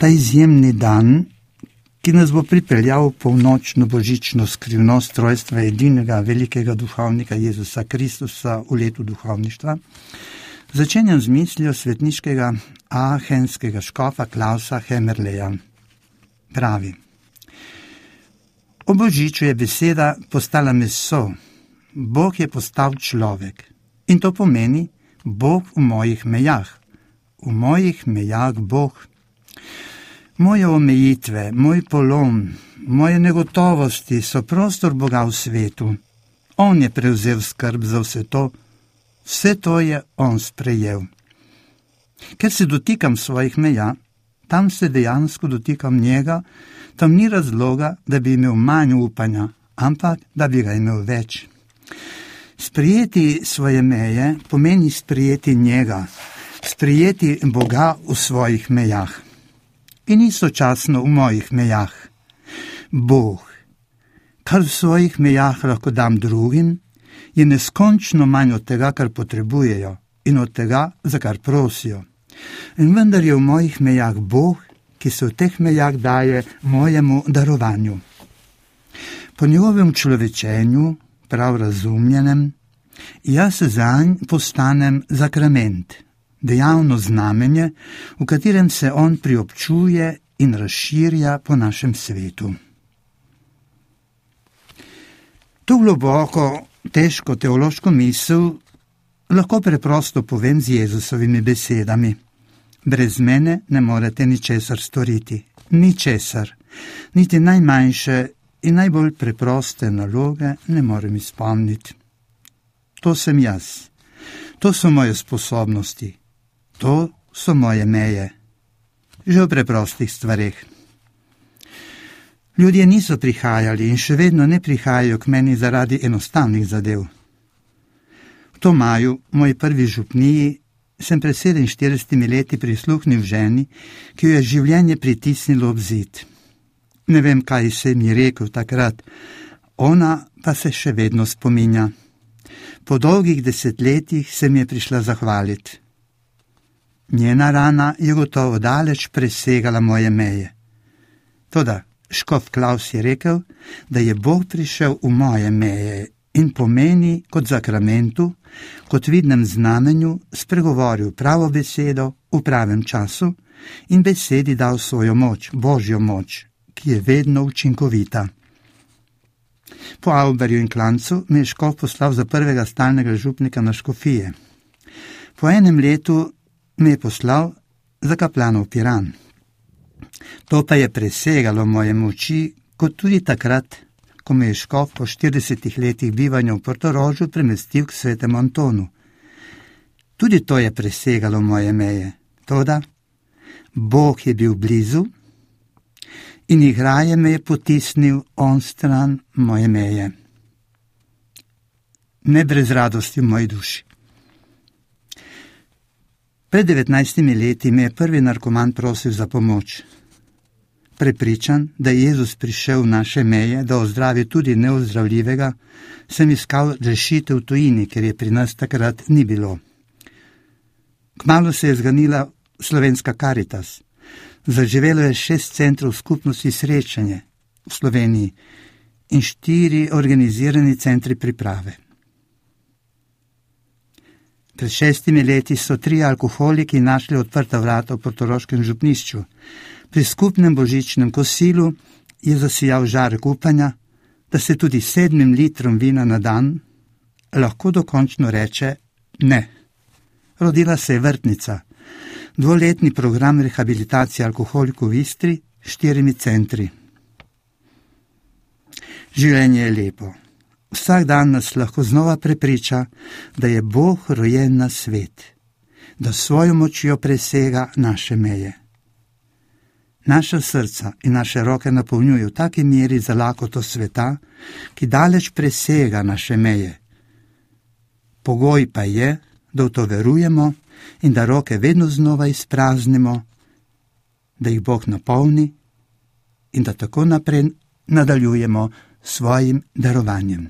ta izjemni dan, ki nas bo pripeljal v polnočno božično skrivnost rojstva edinega velikega duhovnika Jezusa Kristusa v letu duhovništva, začenjam z mislijo svetniškega aachenskega škofa Klausa Hemmerleja. Pravi: o božiču je beseda postala meso, Bog je postal človek. In to pomeni Bog v mojih mejah. V mojih mejah Bog. Moje omejitve, moj polom, moje negotovosti so prostor Boga v svetu. On je prevzel skrb za vse to je on sprejel. Ker se dotikam svojih meja, tam se dejansko dotikam njega, tam ni razloga, da bi imel manj upanja, ampak da bi ga imel več. Sprijeti svoje meje pomeni sprijeti njega, sprijeti Boga v svojih mejah. In istočasno v mojih mejah. Bog, kar v svojih mejah lahko dam drugim, je neskončno manj od tega, kar potrebujejo in od tega, za kar prosijo. In vendar je v mojih mejah Bog, ki se v teh mejah daje mojemu darovanju. Po njegovem človečenju, prav razumljenem, jaz zanj postanem zakrament, dejavno znamenje, v katerem se on priobčuje in razširja po našem svetu. To globoko, težko teološko misel lahko preprosto povem z Jezusovimi besedami. Brez mene ne morete ničesar storiti, ničesar, niti najmanjše in najbolj preproste naloge ne morem izpolniti. To sem jaz, to so moje sposobnosti, to so moje meje, že v preprostih stvareh. Ljudje niso prihajali in še vedno ne prihajajo k meni zaradi enostavnih zadev. V Tomaju, moji prvi župniji, sem pred 47 leti prisluhnil ženi, ki jo je življenje pritisnilo ob zid. Ne vem, kaj se mi rekel takrat, ona pa se še vedno spominja. Po dolgih desetletjih se mi je prišla zahvaliti. Njena rana je gotovo daleč presegala moje meje. Toda škof Klaus je rekel, da je Bog prišel v moje meje in pomeni kot zakramentu, kot vidnem znamenju, spregovoril pravo besedo v pravem času in besedi dal svojo moč, Božjo moč, ki je vedno učinkovita. Po Auberju in Klancu me je škof poslal za prvega stalnega župnika na škofije. Po enem letu me je poslal za kaplanov Piran. To pa je presegalo moje moči, kot tudi takrat, ko me je škof po 40 letih bivanja v Portorožu premestil k svetemu Antonu. Tudi to je presegalo moje meje. Toda Bog je bil blizu in igraje me je potisnil onstran moje meje. Ne brez radosti v moji duši. Pred 19 leti me je prvi narkoman prosil za pomoč. Prepričan, da je Jezus prišel v naše meje, da ozdravi tudi neozdravljivega, sem iskal rešitev v tujini, ker je pri nas takrat ni bilo. Kmalu se je zganila slovenska Karitas. Zaživelo je 6 centrov skupnosti srečanje v Sloveniji in 4 organizirani centri priprave. Pred 6 leti so 3 alkoholiki našli odprta vrata v portoroškem župnišču. Pri skupnem božičnem kosilu je zasijal žarek upanja, da se tudi 7 litrom vina na dan lahko dokončno reče ne. Rodila se je vrtnica, 2-letni program rehabilitacije alkoholikov v Istri, 4 centri. Življenje je lepo. Vsak dan nas lahko znova prepriča, da je Bog rojen na svet, da svojo močjo presega naše meje. Naša srca in naše roke napolnjujejo v taki meri za lakoto sveta, ki daleč presega naše meje. Pogoj pa je, da v to verujemo in da roke vedno znova izpraznimo, da jih Bog napolni in da tako naprej nadaljujemo svojim darovanjem.